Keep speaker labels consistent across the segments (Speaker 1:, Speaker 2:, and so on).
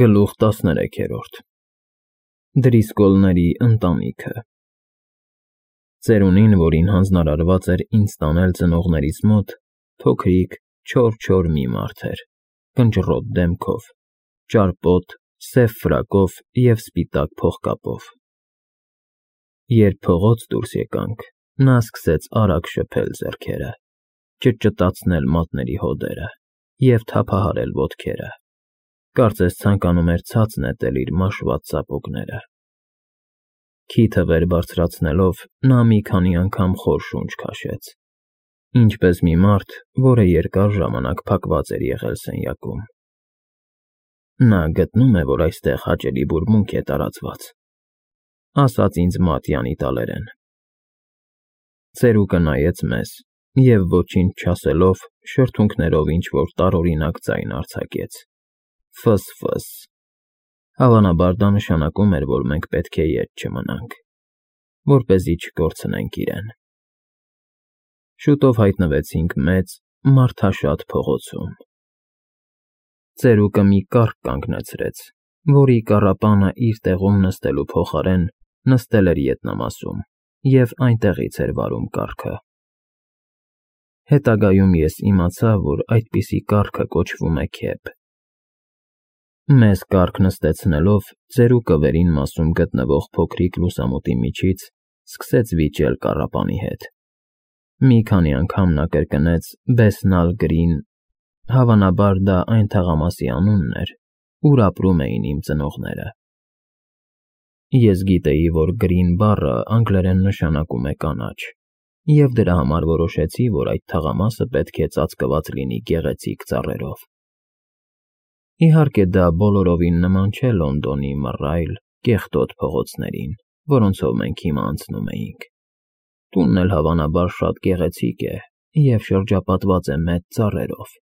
Speaker 1: Գլուխ 13 Դրիսկոլների ընտանիքը Ծերունին, որին հանձնարարված էր ինձ տանել ծնողներիս մոտ, փոքրիկ, չոր մի մարդ էր, կնճռոտ դեմքով, ճարպոտ, սև ֆրակով և սպիտակ փողկապով։ Երբ փողոց դուրս եկանք, նա սկսեց արագ շփել ձեռքերը, ճտճտացնել մատների հոդերը և թափահարել ոտքերը, կարծես ցանկանում էր ցած նետել իր մաշված ծապոգները։ Քիթը վեր բարձրացնելով, նա մի քանի անգամ խոր շունչ քաշեց, ինչպես մի մարդ, որը երկար ժամանակ փակված էր եղել սենյակում։ Նա գտնում է, որ այստեղ հաճելի բուրմունք է տարածված, ասաց ինձ մատյան իտալերեն։ Ծերուկը նայեց մեզ և ոչինչ չասելով շրթունքներով ինչ-որ տարօրինակ ձայն արձակեց. Ֆս֊ֆս։ Հավանաբար դա նշանակում էր, որ մենք պետք է ետ չմնանք, որպեսզի չկորցնենք իրեն։ Շուտով հայտնվեցինք մեծ, մարդաշատ փողոցում։ Ծերուկը մի կառք կանգնեցրեց, որի կառապանը իր տեղում նստելու փոխարեն նստել էր ետնամասում և այնտեղից էր վարում կառքը։ Հետագայում ես իմացա, որ այդպիսի կառքը կոչվում է քեփ։ Մեզ կառք նստեցնելով, ծերուկը վերին մասում գտնվող փոքրիկ լուսամուտի միջից սկսեց վիճել կառապանի հետ։ Մի քանի անգամ նա կրկնեց Բեսնալ Գրին, հավանաբար դա այն թաղամասի անունն էր, ուր ապրում էին իմ ծնողները։ Ես գիտեի, որ Գրին բառը անգլերեն նշանակում է կանաչ, և դրա համար որոշեցի, որ այդ թաղամասը պետք է ծածկված լինի գեղեցիկ ծառերով։ Իհարկե, դա բոլորովին նման չէ Լոնդոնի մռայլ, կեղտոտ փողոցներին, որոնցով մենք հիմա անցնում էինք։ Տունն էլ հավանաբար շատ գեղեցիկ է և շրջապատված է մեծ ծառերով։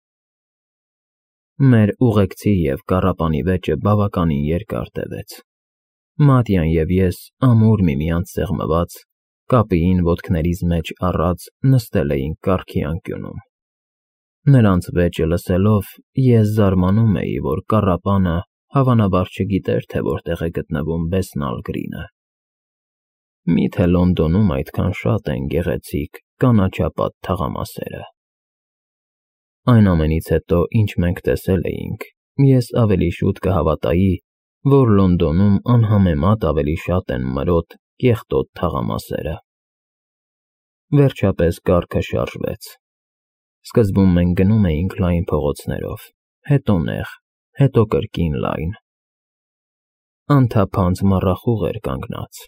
Speaker 1: Մեր ուղեկցի և կառապանի վեճը բավականին երկար տևեց։ Մատյան և ես, ամուր միմյանց սեղմված, կապիին ոտքներիս մեջ առած նստել էինք կառքի անկյունում։ Նրանց վեճը լսելով, ես զարմանում էի, որ կառապանը հավանաբար չգիտեր, թե որտեղ է գտնվում Բեսնալ Գրինը։ Մի՞թե Լոնդոնում այդքան շատ են գեղեցիկ, կանաչապատ թաղամասերը։ Այն ամենից հետո, ինչ մենք տեսել էինք, ես ավելի շուտ կհավատայի, որ Լոնդոնում անհամեմատ ավելի շատ են մրոտ, կեղտոտ թաղամասերը։ Վերջապես կառքը շարժվեց։ Սկզբում մենք գնում էինք լայն փողոցներով, հետո նեղ, հետո կրկին լայն։ Անթափանց մառախուղ էր կանգնած,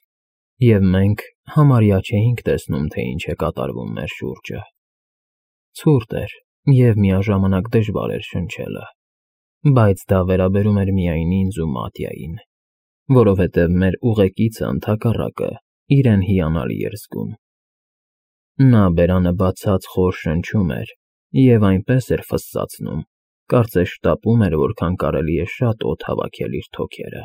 Speaker 1: և մենք համարյա չէինք տեսնում, թե ինչ է կատարվում մեր շուրջը։ Ցուրտ էր և միաժամանակ դժվար էր շնչելը, բայց դա վերաբերում էր միայն ինձ ու Մատյային, որովհետև մեր ուղեկիցը ընդհակառակը իրեն հիանալի էր զգում։ Նա բերանը բացած խոր շնչում էր և այնպես էր ֆսսացնում, կարծես շտապում էր, որքան կարելի է շատ օդ հավաքել իր թոքերը։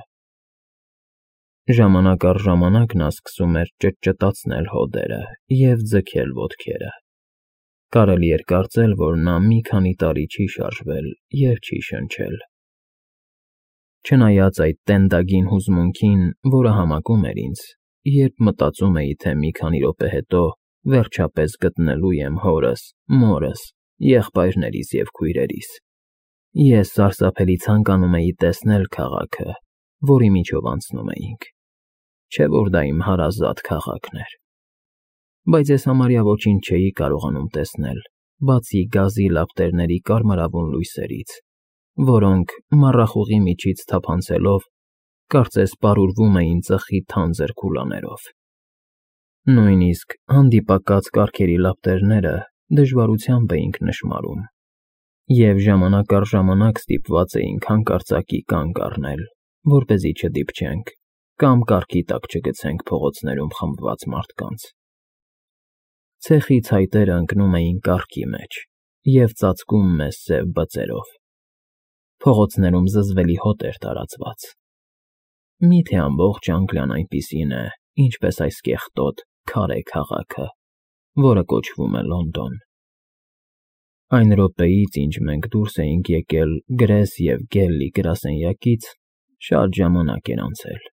Speaker 1: Ժամանակ առ ժամանակ նա սկսում էր ճտճտացնել հոդերը և ձգել ոտքերը։ Կարելի էր կարծել, որ նա մի քանի տարի չի շարժվել և չի շնչել։ Չնայած այդ տենդագին հուզմունքին, որը համակում էր ինձ, երբ մտածում էի, թե մի քանի րոպե հետո վերջապես գտնելու եմ հորս, մորս, եղբայրներիս և քույրերիս, ես սարսափելի ցանկանում էի տեսնել քաղաքը, որի միջով անցնում էինք, չէ՞ որ դա իմ հարազատ քաղաքն էր։ Բայց ես համարյա ոչինչ չէի կարողանում տեսնել, բացի գազի լապտերների կարմրավուն լույսերից, որոնք, մառախուղի միջից թափանցելով, կարծես պարուրվում էին ծխի թանձր քուլաներով։ Նույնիսկ հանդիպակաց կառքերի լապտերները դժվարությամբ էինք նշմարում, և ժամանակ առ ժամանակ ստիպված էինք հանկարծակի կանգ առնել, որպեսզի չդիպչենք կամ կառքի տակ չգցենք փողոցներում խմբված մարդկանց։ Ցեխի ցայտերը ընկնում էին կառքի մեջ և ծածկում մեզ սև բծերով։ Փողոցներում զզվելի հոտ էր տարածված։ Մի՞թե ամբողջ Անգլիան այնպիսին է, ինչպես այս կեղտոտ, քարե քաղաքը, որը կոչվում է Լոնդոն։ Այն րոպեից, ինչ մենք դուրս էինք եկել Գրես և Գելլի գրասենյակից, Շատ ժամանակ էր անցել։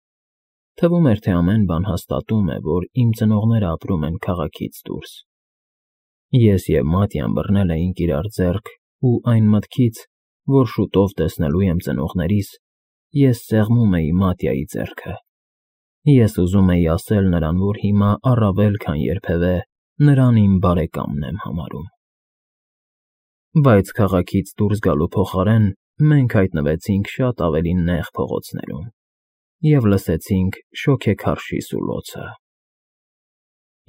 Speaker 1: Թվում էր, թե ամեն բան հաստատում է, որ իմ ծնողները ապրում են քաղաքից դուրս։ Ես և Մատյան բռնել էինք իրար ձեռք ու այն մտքից, որ շուտով տեսնելու եմ ծնողներիս, ես սեղմում էի Մատյայի ձեռքը։ Ես ուզում էի ասել նրան, որ հիմա առավել քան երբևէ նրան իմ բարեկամն եմ համարում։ Բայց քաղաքից դուրս գալու փոխարեն մենք հայտնվեցինք շատ ավելի նեղ փողոցներում և լսեցինք շոգեքարշի սուլոցը։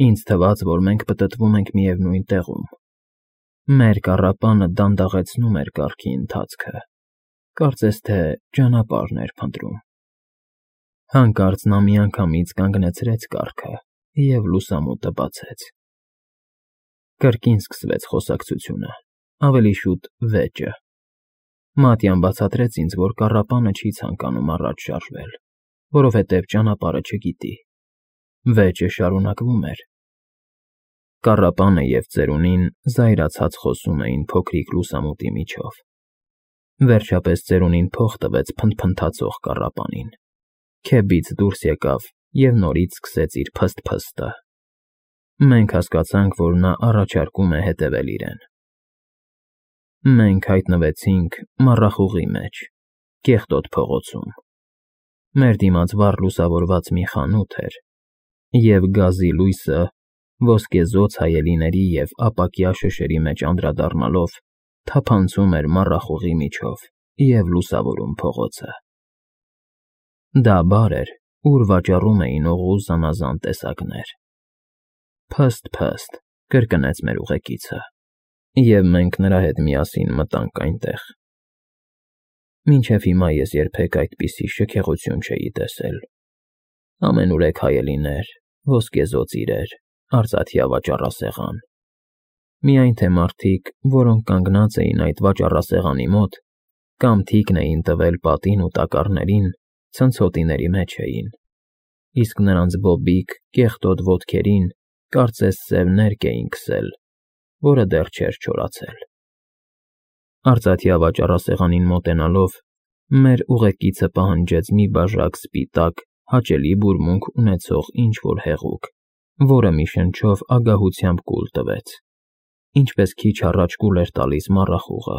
Speaker 1: Ինձ թվաց, որ մենք պտտվում ենք միևնույն տեղում։ Մեր կառապանը դանդաղեցնում էր կառքի ընթացքը, կարծես թե ճանապարհն էր փնտրում։ Հանկարծ նա միանգամից կանգնեցրեց կառքը և լուսամուտը բացեց։ Կրկին սկսվեց խոսակցությունը, ավելի շուտ վեճը։ Մատյան բացատրեց ինձ, որ կառապանը չի ցանկանում առաջ շարժվել, որովհետև ճանապարհը չգիտի։ Վեճը շարունակվում էր։ Կառապանը և ծերունին զայրացած խոսում էին փոքրիկ լուսամուտի միջով։ Վերջապես ծերունին փող տվեց փնթփնթացող կառապանին։ Քեֆից դուրս եկավ և նորից սկսեց իր փսթփսթը։ Մենք հասկացանք, որ նա առաջարկում է հետևել իրեն։ Մենք հայտնվեցինք մառախուղի մեջ, կեղտոտ փողոցում։ Մեր դիմաց վառ լուսավորված մի խանութ էր, և գազի լույսը, ոսկեզօծ հայելիների և ապակյա շշերի մեջ անդրադառնալով, թափանցում էր մառախուղի միջով և լուսավորում փողոցը։ Դա բար էր, ուր վաճառում էին օղու զանազան տեսակներ։ Փսթ-փսթ, կրկնեց մեր ուղեկիցը, և մենք նրա հետ միասին մտանք այնտեղ։ Մինչև հիմա ես երբեք այդպիսի շքեղություն չէի տեսել։ Ամենուրեք հայելիներ, ոսկեզօծ իրեր, արծաթյա վաճառասեղան։ Միայն թե մարդիկ, որոնք կանգնած էին այդ վաճառասեղանի մոտ, կամ թիկն էին տվել պատին ու տակառներին, ցնցոտիների մեջ էին, իսկ նրանց բոբիկ, կեղտոտ ոտքերին կարծես սև ներկը էին քսել, որը դեռ չէր չորացել։ Արծաթյա վաճառասեղանին մոտենալով, մեր ուղեկիցը պահանջեց մի բաժակ սպիտակ, հաճելի բուրմունք ունեցող ինչ֊որ հեղուկ, որը մի շնչով ագահությամբ կուլ տվեց, ինչպես քիչ առաջ կուլ էր տալիս մառախուղը,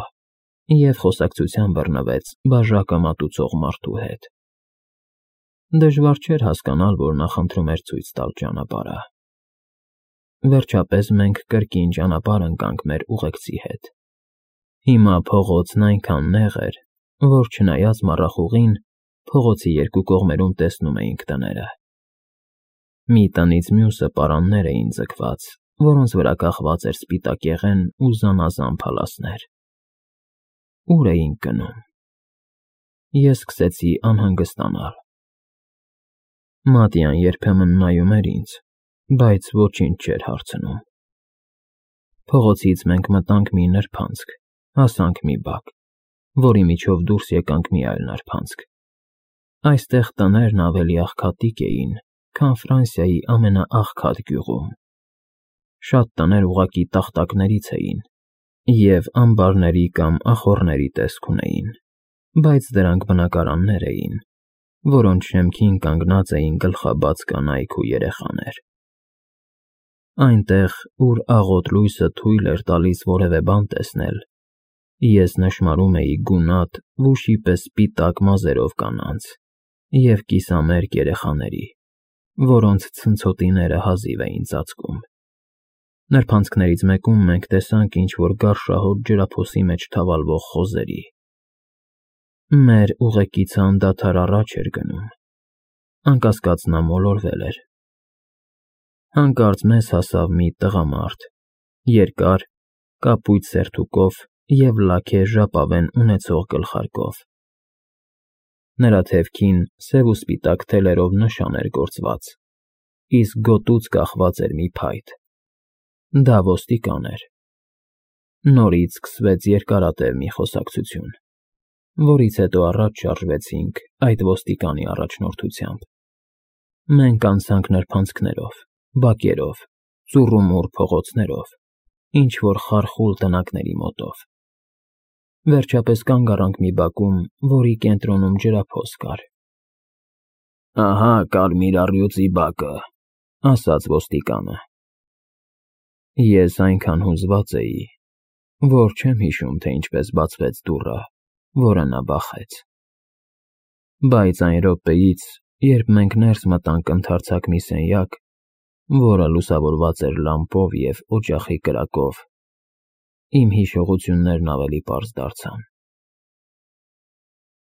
Speaker 1: և խոսակցության բռնվեց բաժակը մատուցող մարդու հետ։ Դժվար չէր հասկանալ, որ նա խնդրում էր ցույց տալ ճանապարհը։ Վերջապես մենք կրկին ճանապարհ ընկանք մեր ուղեկցի հետ։ Հիմա փողոցն այնքան նեղ էր, որ չնայած մառախուղին, փողոցի երկու կողմերում տեսնում էինք տները։ Մի տնից մյուսը պարաններ էին ձգված, որոնց վրա կախված էր սպիտակեղեն ու զանազան փալասներ։ Ո՞ւր էինք գնում։ Ես սկսեցի անհանգստանալ։ Մատյան երբեմն նայում էր ինձ, բայց ոչինչ չէր հարցնում։ Փողոցից մենք մտանք մի նրբանցք, հասանք մի բակ, որի միջով դուրս եկանք մի այլ նրբանցք։ Այստեղ տներն ավելի աղքատիկ էին, քան Ֆրանսիայի ամենաաղքատ գյուղում։ Շատ տներ ուղղակի տախտակներից էին և ամբարների կամ ախոռների տեսք ունեին, բայց դրանք բնակարաններ էին, որոնց շեմքին կանգնած էին գլխաբաց կանայք ու երեխաներ։ Այնտեղ, ուր աղոտ լույսը թույլ էր տալիս որևէ բան տեսնել, ես նշմարում էի գունատ, վուշի պես սպիտակ մազերով կանանց և կիսամերկ երեխաների, որոնց ցնցոտիները հազիվ էին ծածկում։ Նրբանցքներից մեկում մենք տեսանք ինչ-որ գարշահոտ ջրափոսի մեջ թավալվող խոզերի։ Մեր ուղեկիցը անդադար առաջ էր գնում։ Անկասկած նա մոլորվել էր։ Հանկարծ մեզ հասավ մի տղամարդ, երկար, կապույտ սերթուկով և լաքե ժապավեն ունեցող գլխարկով։ Նրա թևքին սև ու սպիտակ թելերով նշան էր գործված, իսկ գոտուց կախված էր մի փայտ։ Դա ոստիկան էր։ Նորից սկսվեց երկարատև մի խոսակցություն, որից հետո առաջ շարժվեցինք այդ ոստիկանի առաջնորդությամբ։ Մենք անցանք նրբանցքներով, բակերով, ծուռումուռ փողոցներով, ինչ-որ խարխուլ տնակների մոտով։ Վերջապես կանգ առանք մի բակում, որի կենտրոնում ջրափոս կար։ Ահա կարմիր առյուծի բակը, ասաց ոստիկանը։ Ես այնքան հուզված էի, որ չեմ հիշում, թե ինչպես բացվեց դուռը, որը նա բախեց։ Բայց այն րոպեից, երբ մենք ներս մտանք ընդարձակ մի սենյակ, որը լուսավորված էր լամպով և օջախի կրակով, իմ հիշողություններն ավելի պարզ դարձան։